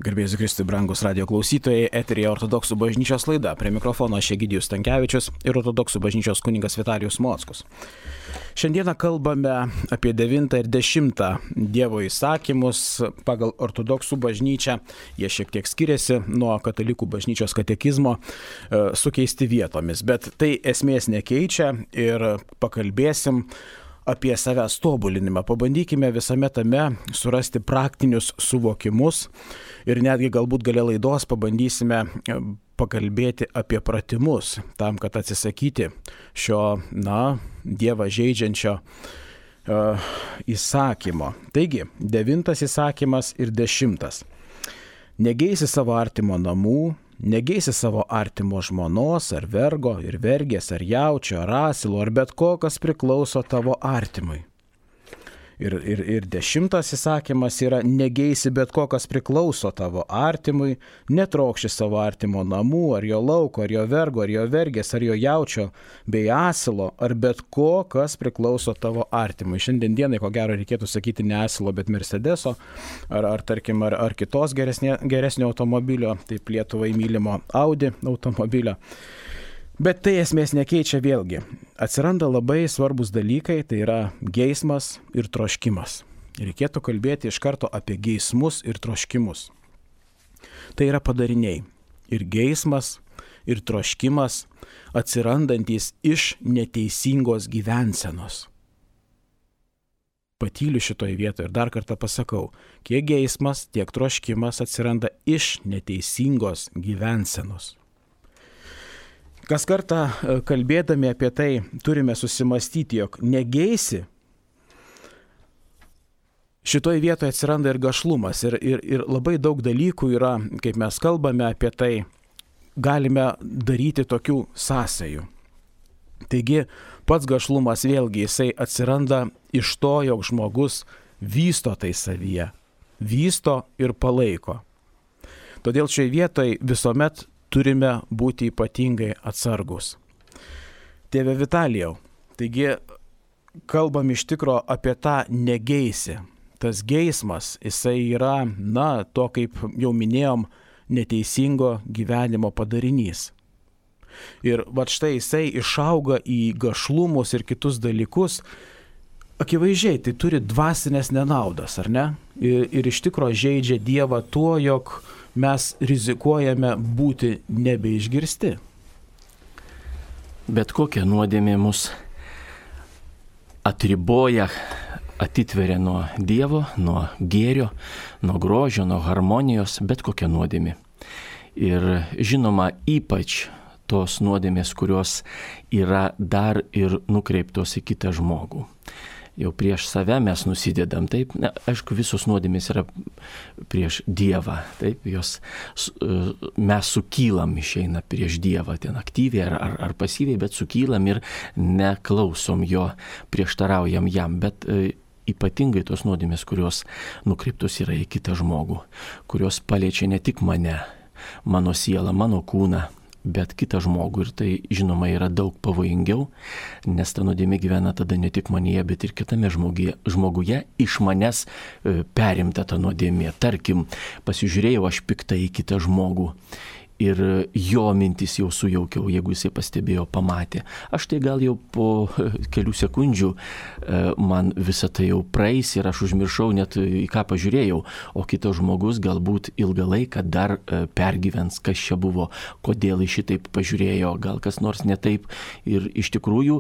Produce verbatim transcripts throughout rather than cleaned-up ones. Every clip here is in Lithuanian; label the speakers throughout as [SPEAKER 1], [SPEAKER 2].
[SPEAKER 1] Garbėsiu Kristui, brangus radio klausytojai, eteryje Ortodoksų bažnyčios laida. Prie mikrofono aš Egidijus Stankevičius ir Ortodoksų bažnyčios kunigas Vitalijus Mockus. Šiandieną kalbame apie devintą ir dešimtą Dievo įsakymus pagal Ortodoksų bažnyčią. Jie šiek tiek skiriasi nuo katalikų bažnyčios katekizmo, sukeisti vietomis, bet tai esmės nekeičia ir pakalbėsim apie savęs tobulinimą. Pabandykime visame tame surasti praktinius suvokimus ir netgi galbūt gale laidos pabandysime pakalbėti apie pratimus, tam, kad atsisakyti šio, na, Dievą žeidžiančio uh, įsakymo. Taigi, devintas įsakymas ir dešimtas. Negeisi savo artimo namų, negeisi savo artimo žmonos, ar vergo, ir vergės, ar jaučio, ar asilo, ar bet ko, kas priklauso tavo artimui. Ir, ir, ir dešimtas įsakymas yra negeisi bet ko, kas priklauso tavo artimui, netrokši savo artimo namų, ar jo lauko, ar jo vergo, ar jo vergės, ar jo jaučio, bei asilo, ar bet ko, kas priklauso tavo artimui. Šiandien dienai, ko gero, reikėtų sakyti ne asilo, bet Mercedeso, ar, ar tarkim, ar, ar kitos geresnė, geresnio automobilio, taip Lietuvai mylimo Audi automobilio. Bet tai esmės nekeičia vėlgi. Atsiranda labai svarbus dalykai, tai yra geismas ir troškimas. Reikėtų kalbėti iš karto apie geismus ir troškimus. Tai yra padariniai. Ir geismas, ir troškimas atsirandantis iš neteisingos gyvensenos. Patyliu šitoje vietoje ir dar kartą pasakau, kiek geismas, tiek troškimas atsiranda iš neteisingos gyvensenos. Kas kartą kalbėdami apie tai turime susimastyti, jog negeisi, šitoje vietoje atsiranda ir gašlumas ir, ir, ir labai daug dalykų yra, kaip mes kalbame apie tai, galime daryti tokių sąsajų. Taigi pats gašlumas vėlgi jisai atsiranda iš to, jog žmogus vysto tai savyje, vysto ir palaiko. Todėl šioje vietoje visuomet turime būti ypatingai atsargus. Tėve Vitalijau, taigi kalbam iš tikro apie tą negeisį. Tas geismas, jisai yra, na, to kaip jau minėjom, neteisingo gyvenimo padarinys. Ir va štai jisai išauga į gašlumus ir kitus dalykus. Akivaizdžiai, tai turi dvasinės nenaudas, ar ne? Ir, ir iš tikro žeidžia Dievą tuo, jog mes rizikuojame būti nebeišgirsti.
[SPEAKER 2] Bet kokia nuodėmė mus atriboja, atitveria nuo Dievo, nuo gėrio, nuo grožio, nuo harmonijos, bet kokia nuodėmė. Ir žinoma, ypač tos nuodėmės, kurios yra dar ir nukreiptos į kitą žmogų. Jau prieš save mes nusidedam, taip, na, aišku, visos nuodėmės yra prieš Dievą, taip, jos, mes sukylam išeina prieš Dievą, ten aktyviai ar, ar, ar pasyviai, bet sukylam ir neklausom jo, prieštaraujam jam, bet e, ypatingai tos nuodėmės, kurios nukreiptos yra į kitą žmogų, kurios paliečia ne tik mane, mano sielą, mano kūną, bet kitą žmogų, ir tai žinoma yra daug pavojingiau, nes ta nuodėmė gyvena tada ne tik manyje, bet ir kitame žmoguje, žmoguje iš manęs e, perimta ta nuodėmė. Tarkim, pasižiūrėjau aš piktai į kitą žmogų ir jo mintis jau sujaukiau, jeigu jisai pastebėjo, pamatė. Aš tai gal jau po kelių sekundžių man visą tai jau praeis ir aš užmiršau net į ką pažiūrėjau, o kitas žmogus galbūt ilgą laiką dar pergyvens, kas čia buvo, kodėl jis šitaip pažiūrėjo, gal kas nors ne taip. Ir iš tikrųjų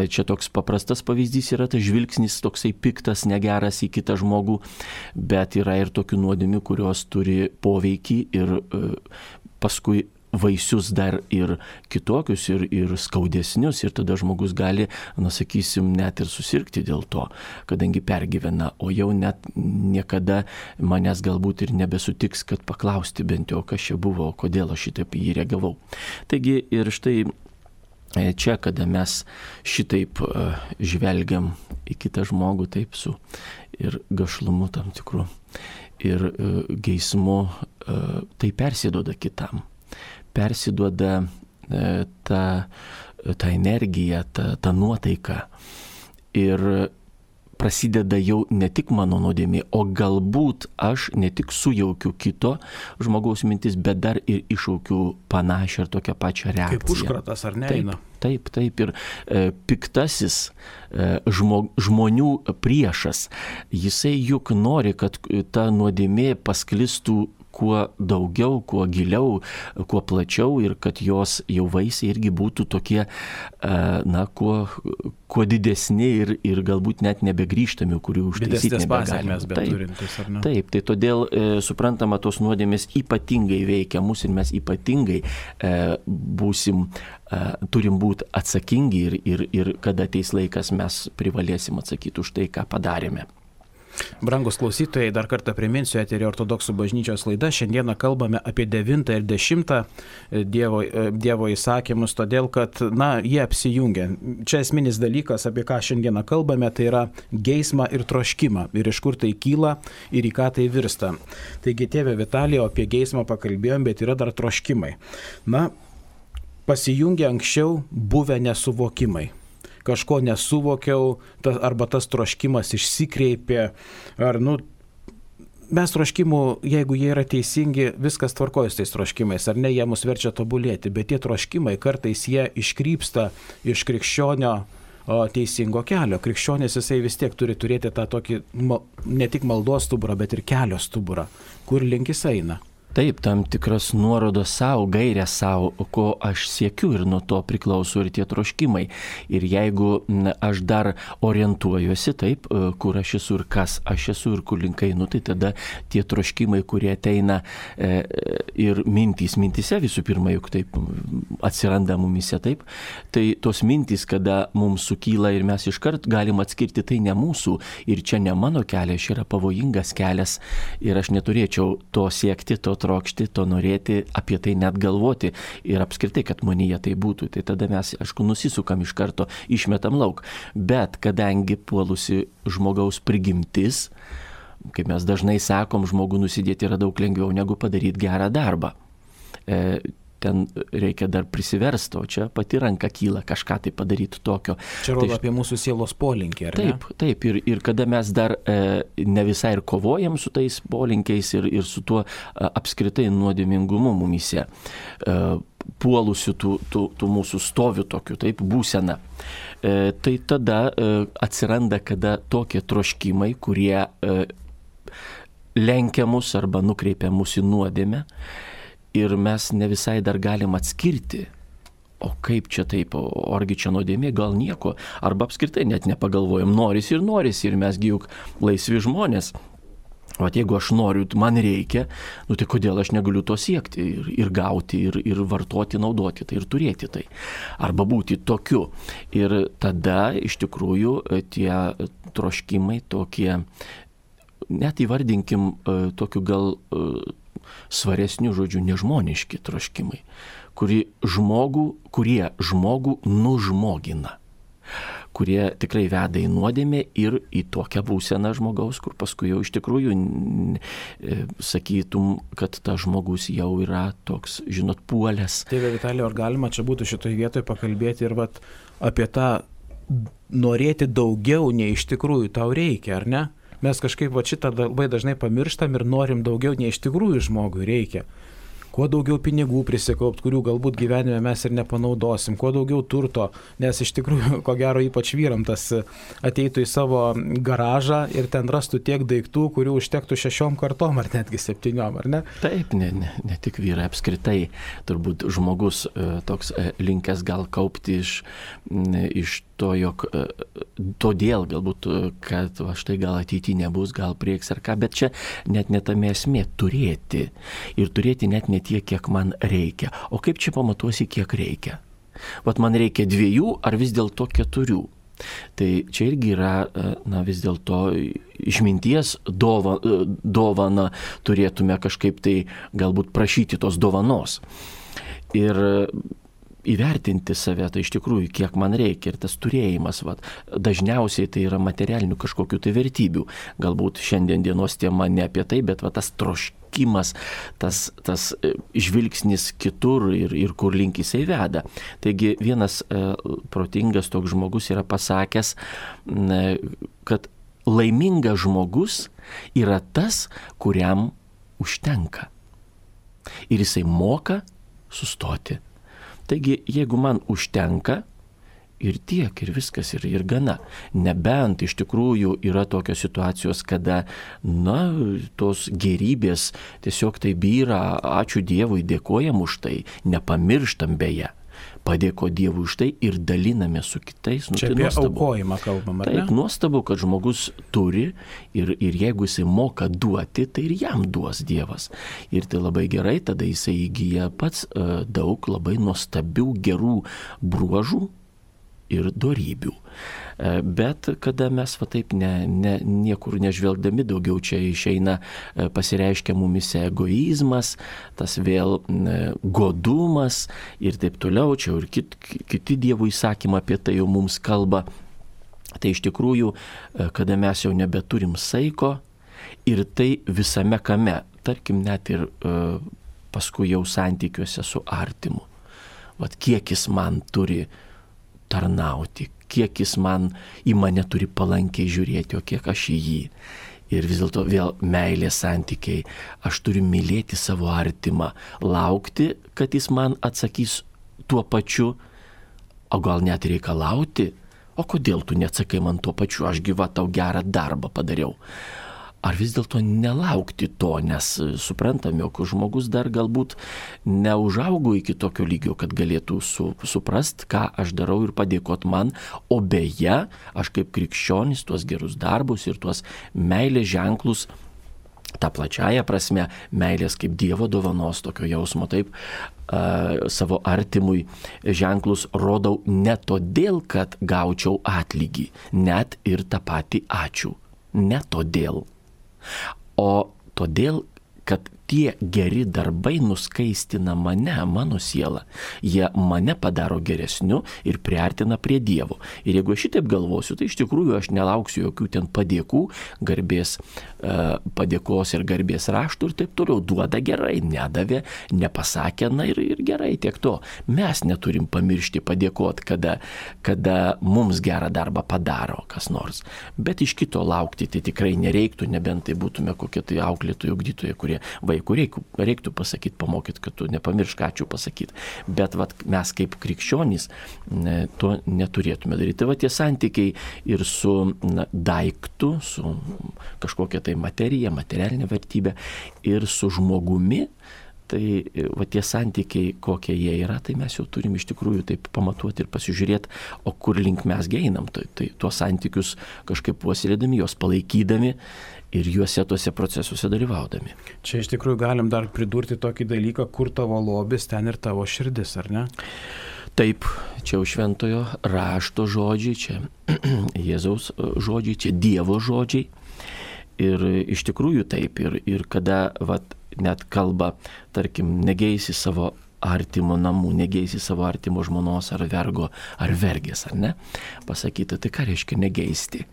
[SPEAKER 2] čia toks paprastas pavyzdys yra tas žvilgsnis toksai piktas, negeras į kitą žmogų, bet yra ir tokių nuodėmių, kurios turi poveikį ir paskui vaisius dar ir kitokius, ir, ir skaudesnius, ir tada žmogus gali, na sakysim, net ir susirgti dėl to, kadangi pergyvena, o jau net niekada manęs galbūt ir nebesutiks, kad paklausti bent jau, kas čia buvo, kodėl aš šitaip jį reagavau. Taigi ir štai čia, kada mes šitaip žvelgiam į kitą žmogų, taip su ir gašlumu tam tikru, ir geismu, tai persiduoda kitam. Persiduoda ta, ta energija, ta, ta nuotaika. Ir prasideda jau ne tik mano nuodėmė, o galbūt aš ne tik sujaukiu kito žmogaus mintis, bet dar ir iššaukiu panašią ir tokią pačią reakciją.
[SPEAKER 1] Kaip užkratas, ar ne?
[SPEAKER 2] Taip, taip, taip. Ir e, piktasis e, žmo, žmonių priešas, jisai juk nori, kad ta nuodėmė pasklistų kuo daugiau, kuo giliau, kuo plačiau ir kad jos jau vaisiai irgi būtų tokie, na, kuo, kuo didesni ir, ir galbūt net nebegrįžtami, kurių užtaisyti nebegalime.
[SPEAKER 1] Taip,
[SPEAKER 2] taip, tai todėl e, suprantama, tos nuodėmės ypatingai veikia mus ir mes ypatingai e, būsim, e, turim būti atsakingi ir, ir, ir kada ateis laikas mes privalėsim atsakyti už tai, ką padarėme.
[SPEAKER 1] Brangus klausytojai, dar kartą priminsiu, eteryje Ortodoksų bažnyčios laida. Šiandieną kalbame apie devintą ir dešimtą Dievo, dievo įsakymus, todėl kad, na, jie apsijungia. Čia esminis dalykas, apie ką šiandieną kalbame, tai yra geismą ir troškimą. Ir iš kur tai kyla ir į ką tai virsta. Taigi, tėve Vitalija, apie geismą pakalbėjom, bet yra dar troškimai. Na, pasijungia anksčiau buvę nesuvokimai. Kažko nesuvokiau, ta, arba tas troškimas išsikreipė, ar, nu, mes troškimų, jeigu jie yra teisingi, viskas tvarkoja su tais troškimais, ar ne, jie mus verčia tobulėti, bet tie troškimai kartais jie iškrypsta iš krikščionio o, teisingo kelio. Krikščionis jisai vis tiek turi turėti tą tokį, ne tik maldos stuburą, bet ir kelio stuburą, kur link jis eina.
[SPEAKER 2] Taip, tam tikras nuorodos savo, gairė savo, ko aš siekiu ir nuo to priklauso ir tie troškimai. Ir jeigu aš dar orientuojuosi taip, kur aš esu ir kas aš esu ir kur link einu, tai tada tie troškimai, kurie ateina e, ir mintys, mintise visų pirma, juk taip atsiranda mumise taip, tai tos mintys, kada mums sukyla ir mes iškart galim atskirti, tai ne mūsų ir čia ne mano kelias, čia yra pavojingas kelias ir aš neturėčiau to siekti, to trokšti, to norėti, apie tai net galvoti ir apskritai, kad manyje tai būtų. Tai tada mes, aišku, nusisukam iš karto, išmetam lauk. Bet kadangi puolusi žmogaus prigimtis, kaip mes dažnai sakom, žmogų nusidėti yra daug lengviau negu padaryti gerą darbą. E, ten reikia dar prisiversti, o čia pati ranka kyla kažką tai padaryti tokio.
[SPEAKER 1] Čia rodo tai, apie mūsų sielos polinkį, ar
[SPEAKER 2] taip, ne? Taip, ir, ir kada mes dar e, ne visai ir kovojam su tais polinkiais ir, ir su tuo e, apskritai nuodėmingumu mumise, e, puolusiu tų, tų, tų mūsų stovių tokių, taip, būseną. E, tai tada e, atsiranda, kada tokie troškimai, kurie e, lenkia mus arba nukreipia mus į nuodėmę, ir mes ne visai dar galim atskirti, o kaip čia taip, o argi čia nuodėmė, gal nieko, arba apskritai net nepagalvojam, noris ir noris, ir mesgi juk laisvi žmonės. O jeigu aš noriu, man reikia, nu tai kodėl aš negaliu to siekti ir, ir gauti, ir, ir vartoti, naudoti tai, ir turėti tai, arba būti tokiu. Ir tada iš tikrųjų tie troškimai tokie, net įvardinkim tokiu gal svaresnių žodžių, nežmoniški troškimai, kurie žmogų, kurie žmogų nužmogina, kurie tikrai veda į nuodėmę ir į tokią būseną žmogaus, kur paskui jau iš tikrųjų sakytum, kad tas žmogus jau yra toks, žinot, puolęs.
[SPEAKER 1] Tėve Vitalija, ar galima čia būtų šitoje vietoje pakalbėti ir vat, apie tą norėti daugiau, nei iš tikrųjų tau reikia, ar ne? Mes kažkaip va šitą labai dažnai pamirštam ir norim daugiau, nei iš tikrųjų žmogui reikia. Kuo daugiau pinigų prisikaupt, kurių galbūt gyvenime mes ir nepanaudosim, kuo daugiau turto, nes iš tikrųjų, ko gero, ypač vyram tas ateitų į savo garažą ir ten rastų tiek daiktų, kurių užtektų šešiom kartom ar netgi septyniom, ar ne?
[SPEAKER 2] Taip, ne, ne, ne tik vyrai, apskritai, turbūt žmogus toks linkęs gal kaupti iš, iš to, jog todėl galbūt, kad va štai gal ateityje nebus, gal prieks ar ką, bet čia net netame esmė turėti ir turėti net ne tiek, kiek man reikia. O kaip čia pamatuosi, kiek reikia? Vat man reikia dviejų ar vis dėlto keturių. Tai čia irgi yra, na, vis dėlto išminties dova, dovana turėtume kažkaip tai galbūt prašyti tos dovanos. Ir įvertinti save, tai iš tikrųjų, kiek man reikia ir tas turėjimas, vat, dažniausiai tai yra materialinių kažkokių tai vertybių. Galbūt šiandien dienos tema ne apie tai, bet vat, tas troškimas, tas, tas žvilgsnis kitur ir, ir kur link jisai veda. Taigi vienas e, protingas toks žmogus yra pasakęs, ne, kad laimingas žmogus yra tas, kuriam užtenka. Ir jisai moka sustoti. Taigi, jeigu man užtenka, ir tiek, ir viskas, ir, ir gana. Nebent iš tikrųjų yra tokios situacijos, kada, na, tos gerybės tiesiog tai byra, ačiū Dievui, dėkojam už tai, nepamirštam beje. Padėko Dievui už tai ir daliname su kitais. Nu,
[SPEAKER 1] Čia
[SPEAKER 2] tai
[SPEAKER 1] apie
[SPEAKER 2] nuostabu.
[SPEAKER 1] aukojimą kalbam, ar ne?
[SPEAKER 2] Taip, nuostabu, kad žmogus turi ir, ir jeigu jisai moka duoti, tai ir jam duos Dievas. Ir tai labai gerai, tada jisai įgyja pats uh, daug labai nuostabių gerų bruožų ir dorybių. Bet kada mes va taip ne, ne, niekur nežvelgdami, daugiau čia išeina, pasireiškia mumise egoizmas, tas vėl godumas ir taip toliau, čia ir kit, kiti Dievo įsakymai apie tai jau mums kalba. Tai iš tikrųjų, kada mes jau nebeturim saiko ir tai visame kame, tarkim net ir paskui jau santykiuose su artimu. Vat kiek jis man turi tarnauti, kiek jis man į mane turi palankiai žiūrėti, o kiek aš į jį. Ir vis dėlto vėl meilės santykiai. Aš turiu mylėti savo artimą, laukti, kad jis man atsakys tuo pačiu, o gal net reikalauti, o kodėl tu neatsakai man tuo pačiu, aš gyva tau gerą darbą padariau. Ar vis dėlto nelaukti to, nes suprantame, jog žmogus dar galbūt neužaugo iki tokio lygio, kad galėtų su, suprast, ką aš darau ir padėkot man, o beje, aš kaip krikščionis tuos gerus darbus ir tuos meilės ženklus, tą plačiają prasme, meilės kaip Dievo dovanos, tokio jausmo, taip, uh, savo artimui ženklus rodau ne todėl, kad gaučiau atlygį, net ir tą patį ačiū, ne todėl. O todėl, kad tie geri darbai nuskaistina mane, mano sielą. Jie mane padaro geresniu ir priartina prie Dievo. Ir jeigu aš šitaip galvosiu, tai iš tikrųjų aš nelauksiu jokių ten padėkų, garbės, padėkos ir garbės raštų ir taip toliau. Duoda gerai, nedavė, nepasakė, na ir, ir gerai, tiek to. Mes neturim pamiršti padėkoti, kada, kada mums gerą darbą padaro kas nors. Bet iš kito laukti tai tikrai nereiktų, nebent tai būtume kokie tai auklėtojai, ugdytojai, kurie vaikų reiktų, reiktų pasakyti, pamokyti, kad tu nepamiršk ačiū pasakyti. Bet vat, mes kaip krikščionys ne, to neturėtume daryti. Tai va tie santykiai ir su na, daiktu, su kažkokia tai materija, materialinė vertybė ir su žmogumi, tai va tie santykiai, kokie jie yra, tai mes jau turim iš tikrųjų taip pamatuoti ir pasižiūrėti, o kur link mes einam. Tai, tai tuos santykius kažkaip puoselėdami, juos palaikydami ir juose tuose procesuose dalyvaudami.
[SPEAKER 1] Čia iš tikrųjų galim dar pridurti tokį dalyką, kur tavo lobis, ten ir tavo širdis, ar ne?
[SPEAKER 2] Taip, čia jau šventojo rašto žodžiai, čia Jėzaus žodžiai, čia Dievo žodžiai. Ir iš tikrųjų taip, ir, ir kada vat, net kalba, tarkim, negeisi savo artimo namų, negeisi savo artimo žmonos ar vergo, ar vergės, ar ne? Pasakyta, tai ką reiškia negeisti?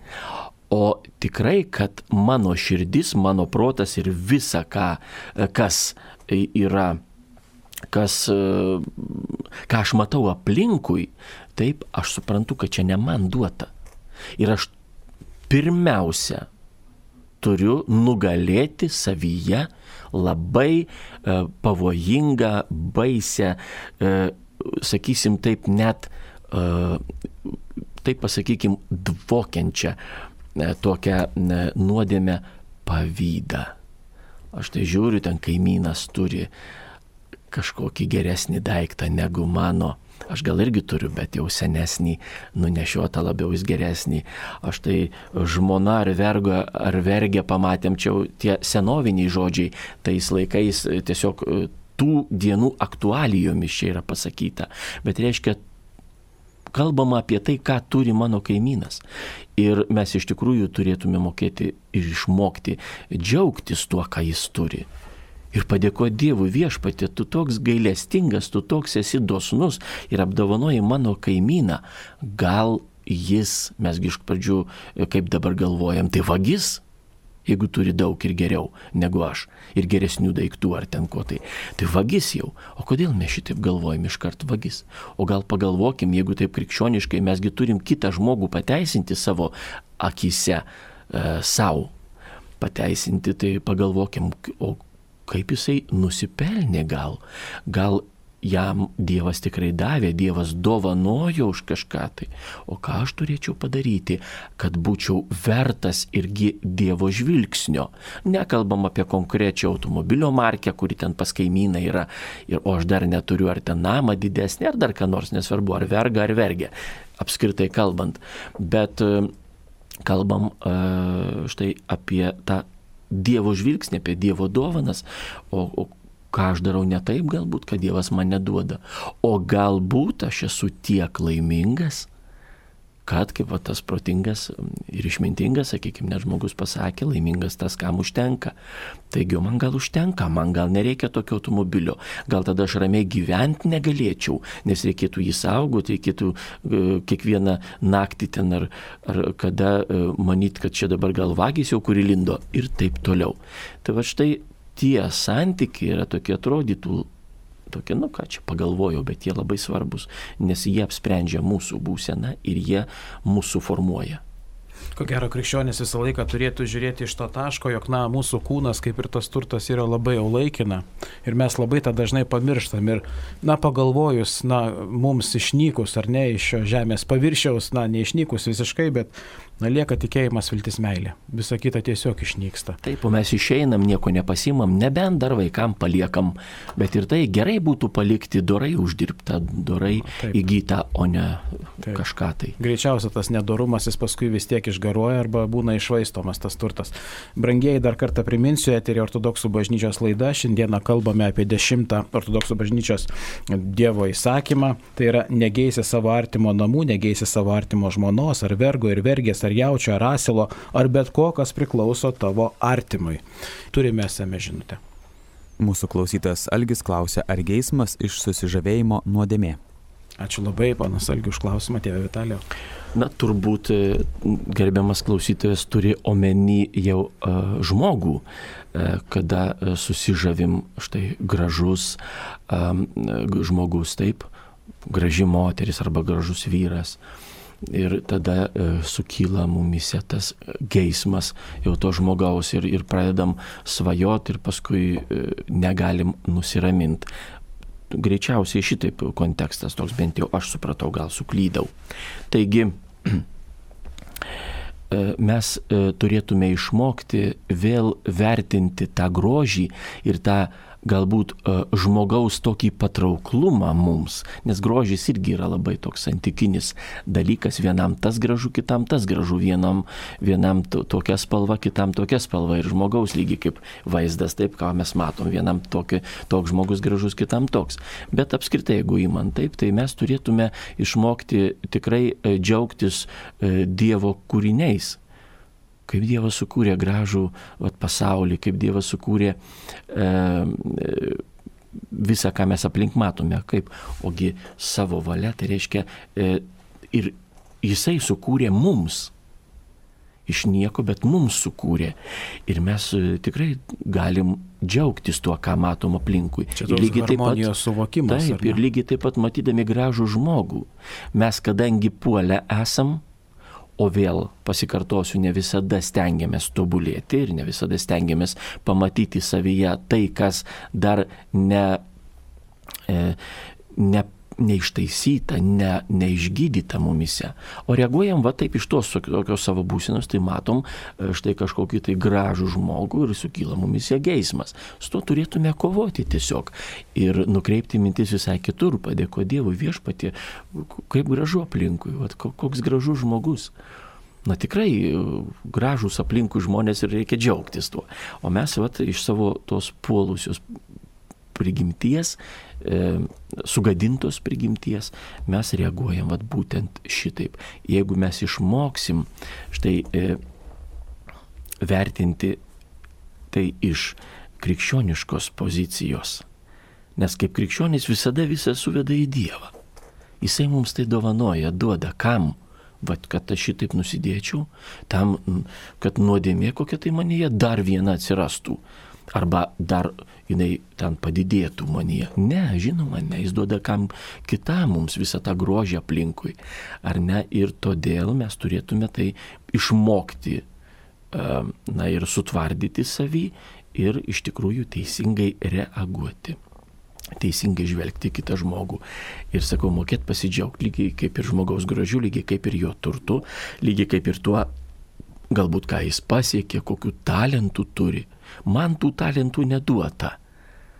[SPEAKER 2] O tikrai, kad mano širdis, mano protas ir visa, ką, kas yra, kas, ką aš matau aplinkui, taip, aš suprantu, kad čia ne man duota. Ir aš pirmiausia turiu nugalėti savyje labai e, pavojingą, baisę, e, sakysim taip, net, e, taip pasakykim, dvokiančią tokią nuodėmę pavydą. Aš tai žiūriu, ten kaimynas turi kažkokį geresnį daiktą negu mano. Aš gal irgi turiu, bet jau senesnį, nunešiotą labiau jis geresnį. Aš tai žmona ar vergo ar vergė pamatėm, čia tie senoviniai žodžiai, tais laikais tiesiog tų dienų aktualijomis čia yra pasakyta. Bet reiškia, kalbama apie tai, ką turi mano kaimynas. Ir mes iš tikrųjų turėtume mokėti ir išmokti džiaugtis tuo, ką jis turi. Ir padėkoti Dievui, viešpatie, tu toks gailestingas, tu toks esi dosnus ir apdovanoji mano kaimyną. Gal jis, mesgi iš pradžių, kaip dabar galvojam, tai vagis, jeigu turi daug ir geriau negu aš, ir geresnių daiktų ar ten ko tai. Tai vagis jau. O kodėl mes šitaip galvojam iškart vagis? O gal pagalvokim, jeigu taip krikščioniškai, mesgi turim kitą žmogų pateisinti savo akyse, e, savo pateisinti, tai pagalvokim, o kaip jisai nusipelnė gal. Gal jam Dievas tikrai davė, Dievas dovanojo už kažką tai. O ką aš turėčiau padaryti, kad būčiau vertas irgi Dievo žvilgsnio. Nekalbam apie konkrečią automobilio markę, kuri ten pas kaimyną yra, ir, o aš dar neturiu ar ten namą didesnį, ar dar ką nors, nesvarbu, ar verga, ar vergė, apskritai kalbant. Bet kalbam štai apie tą Dievo žvilgsnį, apie Dievo dovanas, o, o ką aš darau ne taip galbūt, kad Dievas man neduoda. O galbūt aš esu tiek laimingas, kad, kaip va, tas protingas ir išmintingas, sakykime, net žmogus pasakė, laimingas tas, kam užtenka. Taigi, man gal užtenka, man gal nereikia tokio automobilio, gal tada aš ramiai gyventi negalėčiau, nes reikėtų jį saugoti, reikėtų uh, kiekvieną naktį ten ar, ar kada uh, manyti, kad čia dabar gal vagys jau kuri lindo ir taip toliau. Tai va štai tie santykiai yra tokie atrodytų, tokie, nu ką čia pagalvojau, bet jie labai svarbus, nes jie apsprendžia mūsų būseną ir jie mūsų formuoja.
[SPEAKER 1] Ko gero, krikščionis visą laiką turėtų žiūrėti iš to taško, jog, na, mūsų kūnas, kaip ir tas turtas, yra labai jau laikina. Ir mes labai tą dažnai pamirštam. Ir, na, pagalvojus, na, mums išnykus, ar ne, iš šio žemės paviršiaus, na, neišnykus visiškai, bet, na, lieka tikėjimas, viltis, meilė. Visa kita tiesiog išnyksta.
[SPEAKER 2] Taip, o mes išeinam, nieko nepasimam, nebent dar vaikam paliekam. Bet ir tai gerai būtų palikti dorai uždirbtą, dorai Taip. įgytą, o ne Taip. kažką tai.
[SPEAKER 1] Greičiausia, tas nedorumas jis paskui vis tiek išgaruoja arba būna išvaistomas tas turtas. Brangieji, dar kartą priminsiu, eterį Ortodoksų bažnyčios laida. Šiandieną kalbame apie dešimtą Ortodoksų bažnyčios Dievo įsakymą. Tai yra negeisi savo artimo namų, negeisi savo artimo žmonos, ar vergo ir vergės, ar jaučio, ar asilo, ar bet ko, kas priklauso tavo artimui. Turime esame žinutę.
[SPEAKER 3] Mūsų klausytojas Algis klausia, ar geismas iš susižavėjimo nuodėmė?
[SPEAKER 1] Ačiū labai, panas Algi, už klausimą, tėve Vitalijau.
[SPEAKER 2] Na, turbūt gerbiamas klausytojas turi omeny jau uh, žmogų, uh, kada uh, susižavim štai gražus um, žmogus, taip, graži moteris arba gražus vyras. Ir tada uh, sukyla mumise tas geismas jau to žmogaus ir, ir pradedam svajoti ir paskui uh, negalim nusiraminti. Greičiausiai šitaip kontekstas toks, bent jau aš supratau, gal suklydau. Taigi, mes turėtume išmokti vėl vertinti tą grožį ir tą galbūt žmogaus tokį patrauklumą mums, nes grožis irgi yra labai toks santykinis dalykas, vienam tas gražu, kitam tas gražu, vienam, vienam to, tokia spalva, kitam tokia spalva ir žmogaus lygiai kaip vaizdas, taip, ką mes matom, vienam tokia, toks žmogus gražus, kitam toks. Bet apskritai, jeigu įman taip, tai mes turėtume išmokti tikrai džiaugtis Dievo kūriniais. Kaip Dievas sukūrė gražų vat, pasaulį, kaip Dievas sukūrė e, visą, ką mes aplink matome, kaip, ogi savo valia, tai reiškia, e, ir jisai sukūrė mums, iš nieko, bet mums sukūrė. Ir mes e, tikrai galim džiaugtis tuo, ką matom aplinkui.
[SPEAKER 1] Čia toks harmonijos suvokimas.
[SPEAKER 2] Taip, ir lygiai taip pat matydami gražų žmogų, mes kadangi puolę esam, o vėl pasikartosiu, ne visada stengiamės tobulėti ir ne visada stengiamės pamatyti savyje tai, kas dar ne, e, ne, neištaisyta, ne, neišgydyta mumise. O reaguojam va taip iš tos tokios savo būsenos, tai matom štai kažkokį tai gražų žmogų ir sukyla mumise geismas. Su to turėtume kovoti tiesiog ir nukreipti mintis visai kitur, padėkoti Dievui, Viešpatie, kaip gražu aplinkui, va, koks gražus žmogus. Na tikrai gražus aplinkui žmonės ir reikia džiaugtis tuo. O mes va, iš savo tos puolusios prigimties, e, sugadintos prigimties, mes reaguojam vat, būtent šitaip. Jeigu mes išmoksim štai e, vertinti tai iš krikščioniškos pozicijos, nes kaip krikščionis visada visą suveda į Dievą. Jisai mums tai dovanoja, duoda kam? Vat, kad aš šitaip nusidėčiau, tam, kad nuodėmė kokia tai manyje dar viena atsirastų. Arba dar jinai ten padidėtų manyje. Ne, žinoma, ne, jis duoda kam kitam mums visą tą grožį aplinkui. Ar ne? Ir todėl mes turėtume tai išmokti na ir sutvardyti savį ir iš tikrųjų teisingai reaguoti. Teisingai žvelgti kitą žmogų. Ir sakau, mokėt pasidžiaugti lygiai kaip ir žmogaus grožiu, lygiai kaip ir jo turtu, lygiai kaip ir tuo, galbūt ką jis pasiekė, kokių talentų turi. Man tų talentų neduota.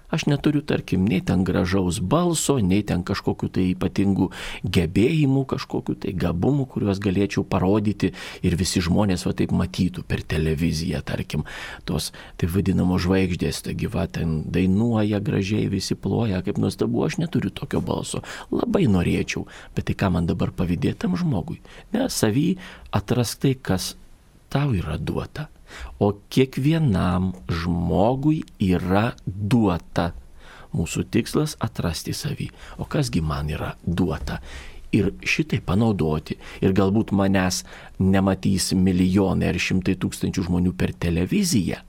[SPEAKER 2] Aš neturiu, tarkim, nei ten gražaus balso, nei ten kažkokių tai ypatingų gebėjimų, kažkokių tai gabumų, kuriuos galėčiau parodyti ir visi žmonės va taip matytų per televiziją, tarkim, tos taip vadinamos žvaigždės, taigi va ten dainuoja gražiai, visi ploja, kaip nuostabu, aš neturiu tokio balso. Labai norėčiau, bet tai ką man dabar pavydėtam žmogui? Ne, savy atrast tai, kas tau yra duota. O kiekvienam žmogui yra duota. Mūsų tikslas atrasti savį. O kasgi man yra duota? Ir šitai panaudoti. Ir galbūt manęs nematys milijonai ar šimtai tūkstančių žmonių per televiziją.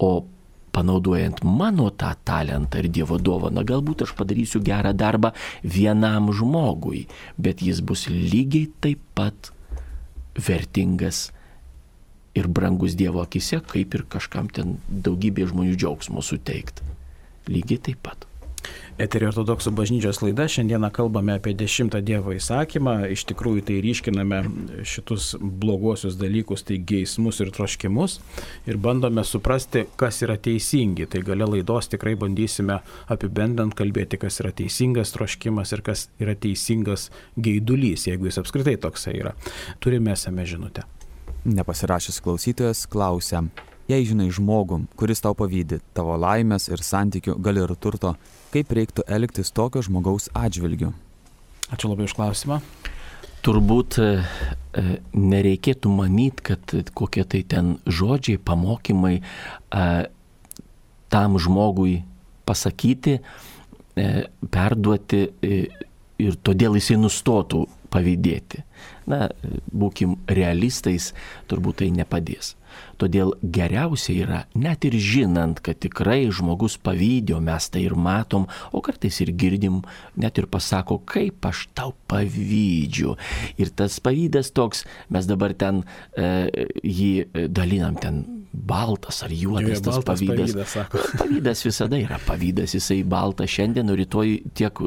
[SPEAKER 2] O panaudojant mano tą talentą ir Dievo dovaną, galbūt aš padarysiu gerą darbą vienam žmogui. Bet jis bus lygiai taip pat vertingas ir brangus Dievo akise, kaip ir kažkam ten daugybė žmonių džiaugsmo suteikti. Lygiai taip pat.
[SPEAKER 1] Eterio ortodoksų bažnyčios laida. Šiandieną kalbame apie dešimtą Dievo įsakymą. Iš tikrųjų tai ryškiname šitus bloguosius dalykus, tai geismus ir troškimus. Ir bandome suprasti, kas yra teisingi. Tai gale laidos tikrai bandysime apibendrinti, kalbėti, kas yra teisingas troškimas ir kas yra teisingas geidulys, jeigu jis apskritai toksai yra. Turime esame žinutę.
[SPEAKER 3] Nepasirašęs klausytojas klausia, jei žinai žmogų, kuris tau pavydi, tavo laimės ir santykių, gali ir turto, kaip reiktų elgtis tokio žmogaus atžvilgiu?
[SPEAKER 1] Ačiū labai už klausimą.
[SPEAKER 2] Turbūt e, nereikėtų manyti, kad kokie tai ten žodžiai, pamokymai e, tam žmogui pasakyti, e, perduoti e, ir todėl jisai nustotų pavydėti. Na, būkim realistais, turbūt tai nepadės. Todėl geriausia yra, net ir žinant, kad tikrai žmogus pavydė, o mes tai ir matom, o kartais ir girdim, net ir pasako, kaip aš tau pavydžiu. Ir tas pavydas toks, mes dabar ten e, jį dalinam ten baltas ar juodas, tas pavydas. Pavydas, pavydas visada yra pavydas, jisai baltas šiandien, o rytoj tiek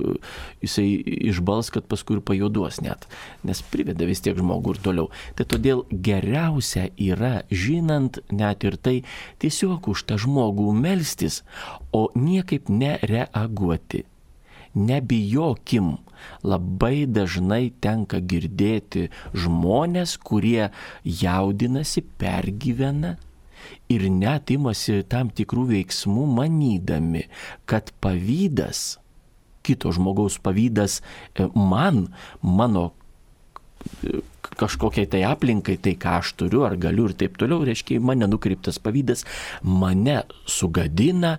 [SPEAKER 2] jisai išbals, kad paskui ir pajuoduos net, nes priveda vis tiek žmogų ir toliau. Tai todėl geriausia yra, žinant net ir tai, tiesiog už tą žmogų melstis, o niekaip nereaguoti. Nebijokim, labai dažnai tenka girdėti žmonės, kurie jaudinasi, pergyvena ir net imasi tam tikrų veiksmų manydami, kad pavydas, kito žmogaus pavydas man, mano kažkokiai tai aplinkai, tai ką aš turiu ar galiu ir taip toliau, reiškia, mane nukreiptas pavydas, mane sugadina,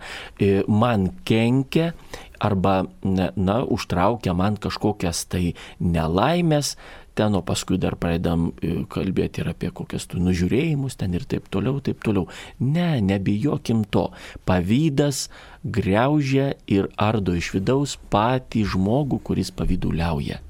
[SPEAKER 2] man kenkia arba, na, užtraukia man kažkokias tai nelaimės, ten, o paskui dar pradedam kalbėti ir apie kokias tų nužiūrėjimus ten ir taip toliau, taip toliau. Ne, nebijokim to. Pavydas griaužia ir ardo iš vidaus patį žmogų, kuris pavyduliauja.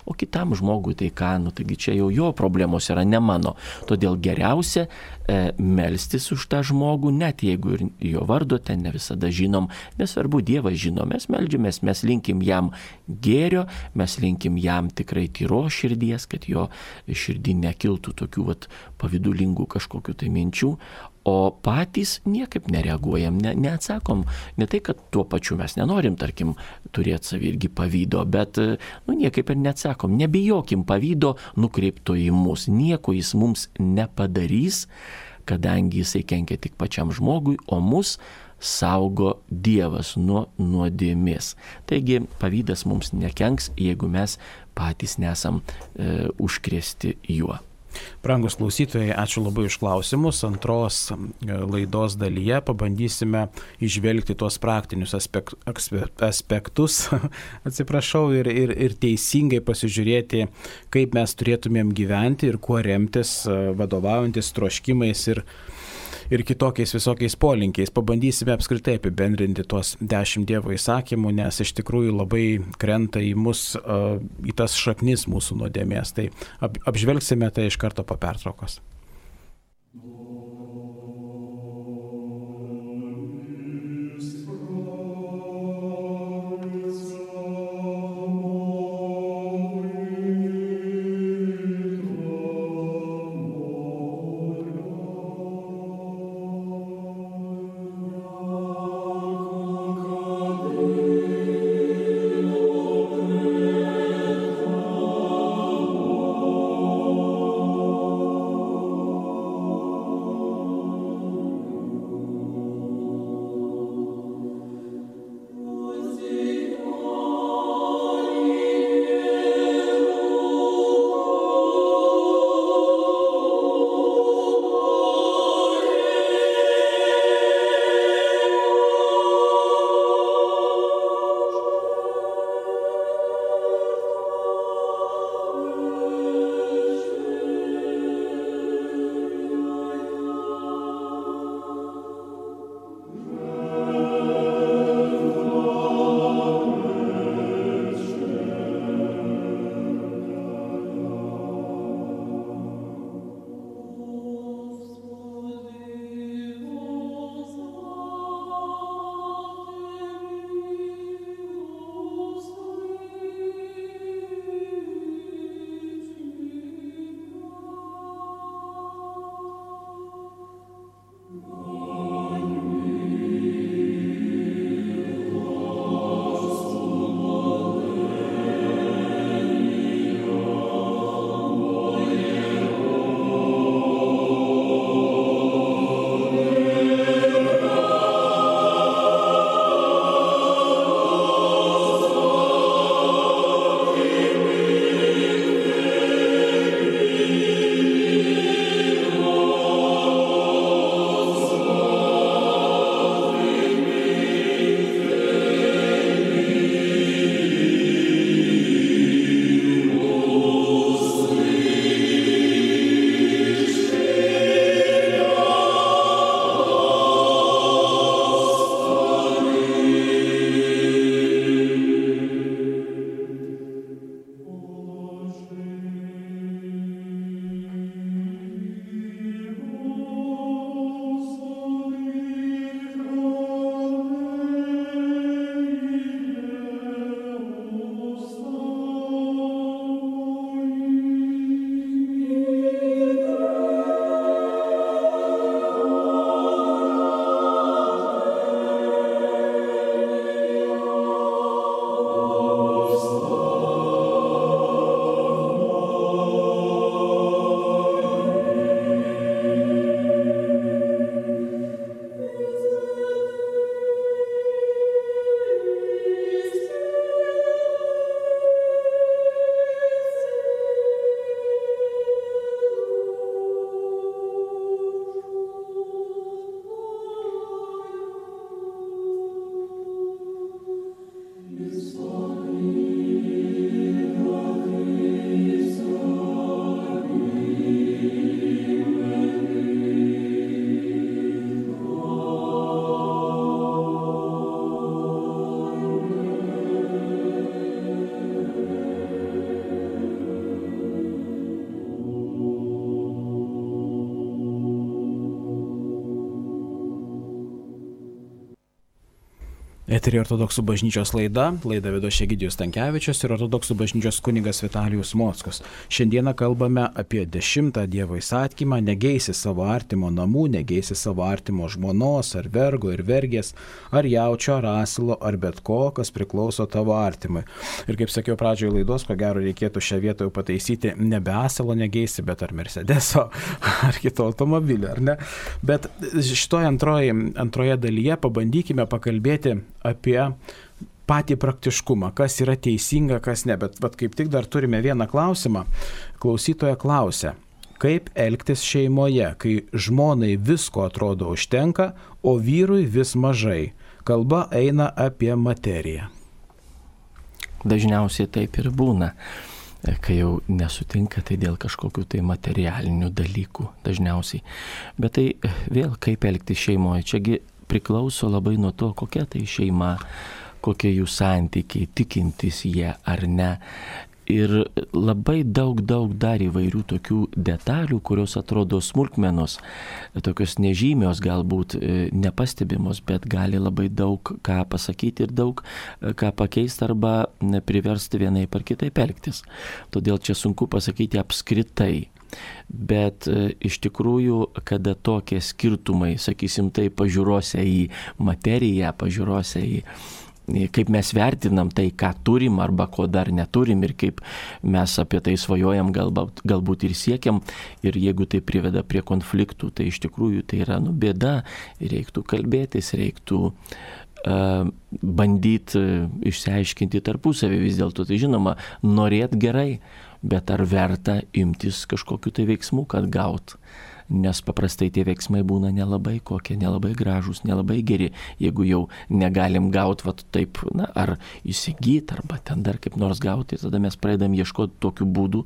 [SPEAKER 2] O kitam žmogui tai ką, nu taigi čia jau jo problemos yra, ne mano. Todėl geriausia e, melstis už tą žmogų, net jeigu ir jo vardo ten ne visada žinom, nesvarbu, Dievas žino, mes meldžiamės, mes linkim jam gėrio, mes linkim jam tikrai tyros širdies, kad jo širdį nekiltų tokių vat, pavydulingų kažkokių tai minčių, o patys niekaip nereaguojam, ne, neatsakom, ne tai, kad tuo pačiu mes nenorim, tarkim, turėti savį irgi pavydo, bet nu, niekaip ir neatsakom, nebijokim pavydo nukreipto į mus, nieko jis mums nepadarys, kadangi jisai kenkia tik pačiam žmogui, o mus saugo Dievas nuo nuodėmės. Taigi pavydas mums nekenks, jeigu mes patys nesam e, užkrėsti juo.
[SPEAKER 1] Brangus klausytojai, ačiū labai už klausimus. Antros laidos dalyje pabandysime išvelgti tuos praktinius aspek, aspektus, atsiprašau, ir, ir, ir teisingai pasižiūrėti, kaip mes turėtumėm gyventi ir kuo remtis, vadovaujantis troškimais ir, ir kitokiais visokiais polinkiais. Pabandysime apskritai apibendrinti tuos dešimt Dievo įsakymų, nes iš tikrųjų labai krenta į mus, į tas šaknis mūsų nuodėmės. Tai ap, apžvelgsime tai iš karto po pertraukos. Eterį ortodoksų bažnyčios laida, laida vedo Egidijus Stankevičius ir ortodoksų bažnyčios kunigas Vitalijus Mockus. Šiandieną kalbame apie dešimtą Dievo įsakymą: negeisi savo artimo namų, negeisi savo artimo žmonos, ar vergo ir vergės, ar jaučio, ar asilo, ar bet ko, kas priklauso tavo artimui. Ir kaip sakiau pradžioje laidos, ko gero reikėtų šią vietą jau pataisyti, nebe asilo negeisi, bet ar Mercedeso, ar kito automobilio, ar ne? Bet šitoje antroje, antroje dalyje pabandykime pakalbėti apie patį praktiškumą, kas yra teisinga, kas ne. Bet, bet kaip tik dar turime vieną klausimą. Klausytoja klausia, kaip elgtis šeimoje, kai žmonai visko atrodo užtenka, o vyrui vis mažai. Kalba eina apie materiją.
[SPEAKER 2] Dažniausiai taip ir būna. Kai jau nesutinka, tai dėl kažkokių tai materialinių dalykų dažniausiai. Bet tai vėl kaip elgtis šeimoje. Čiagi priklauso labai nuo to, kokia tai šeima, kokie jų santykiai, tikintis jie ar ne. Ir labai daug, daug dar įvairių tokių detalių, kurios atrodo smulkmenos, tokios nežymios, galbūt nepastebimos, bet gali labai daug ką pasakyti ir daug ką pakeisti arba priversti vienaip ar kitaip elgtis. Todėl čia sunku pasakyti apskritai. Bet iš tikrųjų, kada tokie skirtumai, sakysim tai, pažiūrose į materiją, pažiūrose į kaip mes vertinam tai, ką turim arba ko dar neturim ir kaip mes apie tai svajojam, galbūt, galbūt ir siekiam. Ir jeigu tai priveda prie konfliktų, tai iš tikrųjų tai yra nu, bėda. Reiktų kalbėtis, reiktų uh, bandyti išsiaiškinti tarpusavį vis dėlto. Tai žinoma, norėt gerai, bet ar verta imtis kažkokiu tai veiksmu, kad gaut. Nes paprastai tie veiksmai būna nelabai kokie, nelabai gražūs, nelabai geri. Jeigu jau negalim gauti, va taip, na, ar įsigyti, arba ten dar kaip nors gauti, tada mes pradedam ieškoti tokių būdų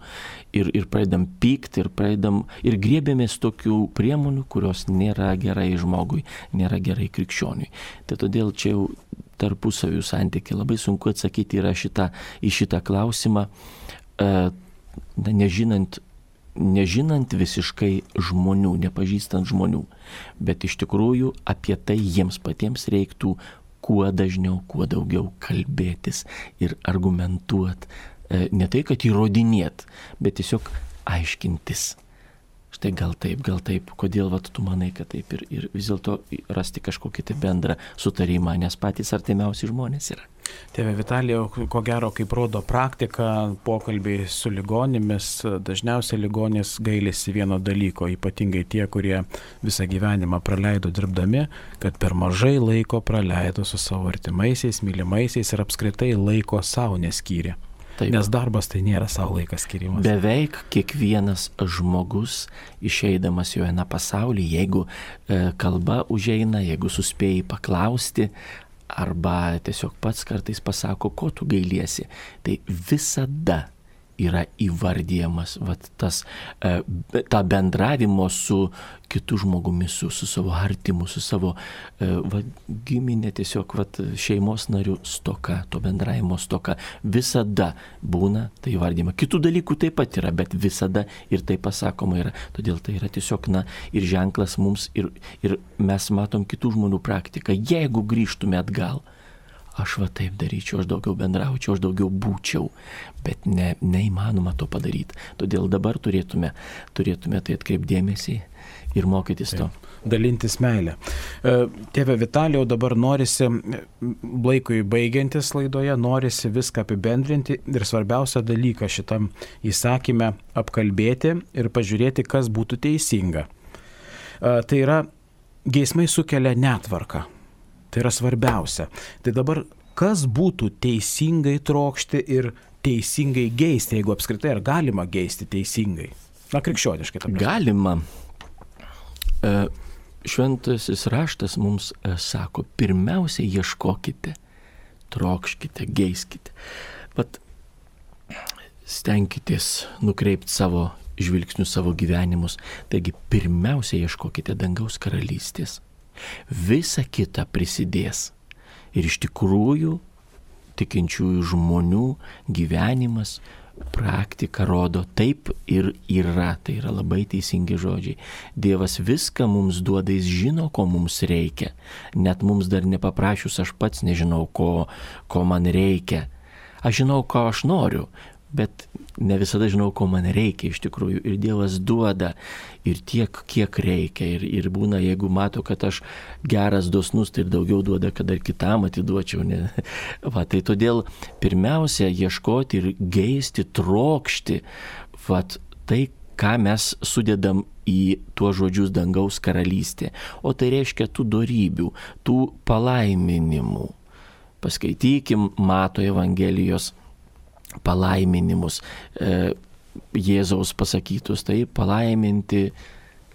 [SPEAKER 2] ir, ir pradedam pykti, ir pradedam, ir griebėmės tokių priemonių, kurios nėra gerai žmogui, nėra gerai krikščioniui. Tai todėl čia jau tarpusavių santykiai labai sunku atsakyti yra šitą, į šitą klausimą, na, nežinant, nežinant visiškai žmonių, nepažįstant žmonių, bet iš tikrųjų apie tai jiems patiems reiktų kuo dažniau, kuo daugiau kalbėtis ir argumentuot, ne tai, kad įrodinėt, bet tiesiog aiškintis. Štai gal taip, gal taip, kodėl vat, tu manai, kad taip ir, ir vis dėlto rasti kažkokį tai bendrą sutarimą, nes patys artimiausi žmonės yra.
[SPEAKER 1] Tėve Vitalijau, ko gero, kaip rodo praktika, pokalbiai su ligonimis, dažniausiai ligonės gailisi vieno dalyko, ypatingai tie, kurie visą gyvenimą praleido dirbdami, kad per mažai laiko praleido su savo artimaisiais, mylimaisiais ir apskritai laiko savo neskyrė. Taip. Nes darbas tai nėra savo laikas skirimas.
[SPEAKER 2] Beveik kiekvienas žmogus išeidamas jo eina pasaulį, jeigu e, kalba užeina, jeigu suspėjai paklausti, arba tiesiog pats kartais pasako, ko tu gailiesi, tai visada yra įvardyjamas vat, tas, e, ta bendravimo su kitu žmogumi, su, su savo artimu, su savo e, vat, giminė, tiesiog vat, šeimos narių stoka, to bendravimo stoka. Visada būna tai įvardyjama. Kitų dalykų taip pat yra, bet visada ir tai pasakoma yra. Todėl tai yra tiesiog na, ir ženklas mums, ir, ir mes matom kitų žmonių praktiką. Jeigu grįžtume atgal, aš va taip daryčiau, aš daugiau bendraučiau, aš daugiau būčiau, bet ne, neįmanoma to padaryti. Todėl dabar turėtume, turėtume tai atkreipdėmėsi ir mokytis to.
[SPEAKER 1] Dalintis meilę. Tėve Vitalijau, dabar norisi, laikui baigiantis laidoje, norisi viską apibendrinti ir svarbiausią dalyką šitam įsakyme apkalbėti ir pažiūrėti, kas būtų teisinga. Tai yra, geismai sukelia netvarką. Tai yra svarbiausia. Tai dabar, kas būtų teisingai trokšti ir teisingai geisti, jeigu apskritai ar galima geisti teisingai? Na, krikščioniškai.
[SPEAKER 2] Galima. Šventasis raštas mums sako, pirmiausia ieškokite, trokškite, geiskite. Vat stenkitės nukreipti savo žvilgsnius, savo gyvenimus. Taigi, pirmiausia ieškokite dangaus karalystės. Visa kita prisidės. Ir iš tikrųjų tikinčiųjų žmonių gyvenimas, praktika rodo, taip ir yra. Tai yra labai teisingi žodžiai. Dievas viską mums duoda, jis žino, ko mums reikia. Net mums dar nepaprašius, aš pats nežinau, ko, ko man reikia. Aš žinau, ko aš noriu, bet ne visada žinau, ko man reikia iš tikrųjų. Ir Dievas duoda ir tiek, kiek reikia. Ir, ir būna, jeigu mato, kad aš geras, dosnus, tai ir daugiau duoda, kad dar kitam atiduočiau. Ne? Va, tai todėl pirmiausia ieškoti ir geisti, trokšti, va, tai, ką mes sudedam į tuos žodžius dangaus karalystė. O tai reiškia tų dorybių, tų palaiminimų. Paskaitykim Mato Evangelijos palaiminimus, e, Jėzaus pasakytus, tai palaiminti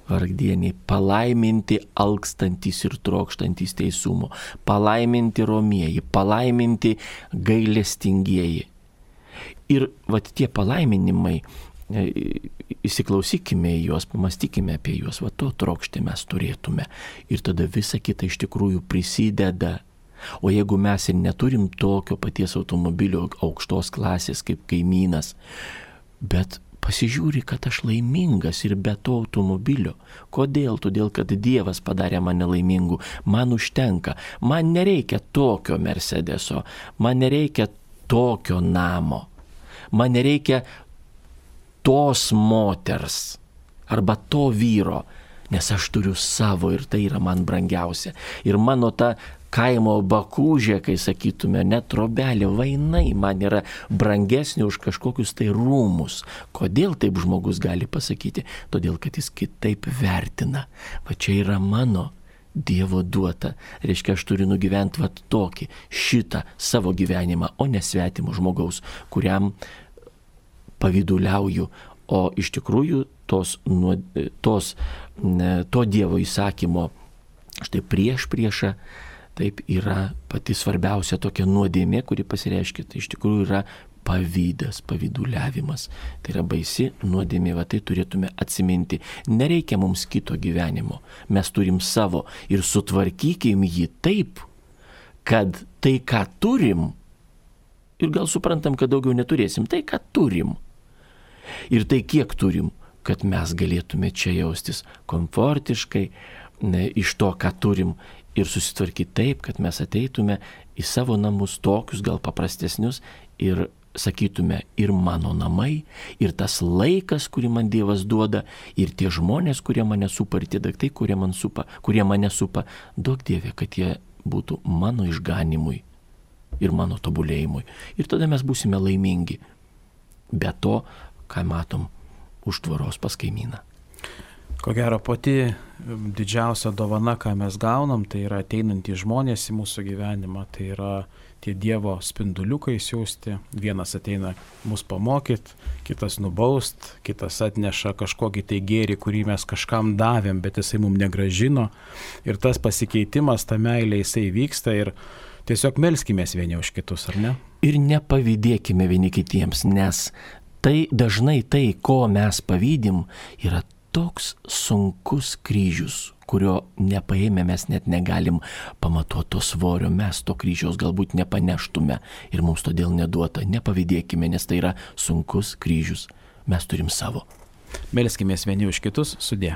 [SPEAKER 2] vargdieniai, palaiminti alkstantys ir trokštantys teisumo, palaiminti romieji, palaiminti gailestingieji. Ir vat tie palaiminimai, e, įsiklausykime į juos, pamastykime apie juos, va to trokšti mes turėtume. Ir tada visa kita iš tikrųjų prisideda. O jeigu mes ir neturim tokio paties automobilio aukštos klasės kaip kaimynas, bet pasižiūri, kad aš laimingas ir be to automobilio. Kodėl? Todėl, kad Dievas padarė mane laimingu. Man užtenka. Man nereikia tokio Mercedeso. Man nereikia tokio namo. Man nereikia tos moters arba to vyro, nes aš turiu savo ir tai yra man brangiausia. Ir mano ta kaimo bakūžė, kai sakytume, net trobelė, vainai man yra brangesnė už kažkokius tai rūmus. Kodėl taip žmogus gali pasakyti? Todėl, kad jis kitaip vertina. Va čia yra mano Dievo duota. Reiškia, aš turiu nugyventi va tokį, šitą savo gyvenimą, o ne svetimų žmogaus, kuriam pavyduliauju. O iš tikrųjų tos, tos, to Dievo įsakymo, štai prieš priešą, taip yra pati svarbiausia tokia nuodėmė, kuri pasireiškia, tai iš tikrųjų yra pavydas, pavyduliavimas. Tai yra baisi nuodėmė, va tai turėtume atsiminti. Nereikia mums kito gyvenimo, mes turim savo ir sutvarkykim jį taip, kad tai, ką turim, ir gal suprantam, kad daugiau neturėsim, tai, ką turim. Ir tai, kiek turim, kad mes galėtume čia jaustis komfortiškai, ne, iš to, ką turim, ir susitvarkyti taip, kad mes ateitume į savo namus tokius gal paprastesnius ir sakytume, ir mano namai, ir tas laikas, kurį man Dievas duoda, ir tie žmonės, kurie mane supa, ir tie daiktai, kurie, man supa, kurie mane supa, duok Dieve, kad jie būtų mano išganimui ir mano tobulėjimui. Ir tada mes būsime laimingi. Be to, ką matom už tvoros pas kaimyną.
[SPEAKER 1] Ko gero, pati didžiausia dovana, ką mes gaunam, tai yra ateinantys žmonės į mūsų gyvenimą, tai yra tie Dievo spinduliukai siųsti. Vienas ateina mus pamokyti, kitas nubaust, kitas atneša kažkokį tai gėrį, kurį mes kažkam davėm, bet jisai mums negražino. Ir tas pasikeitimas, ta meilė, jisai vyksta ir tiesiog melskimės vieni už kitus, ar ne?
[SPEAKER 2] Ir nepavydėkime vieni kitiems, nes tai dažnai tai, ko mes pavydim, yra toks sunkus kryžius, kurio nepaėmė mes net negalim pamatuoti to svorio, mes to kryžiaus galbūt nepaneštume ir mums todėl neduota. Nepavydėkime, nes tai yra sunkus kryžius. Mes turim savo.
[SPEAKER 1] Melskimės vieni už kitus, sudie.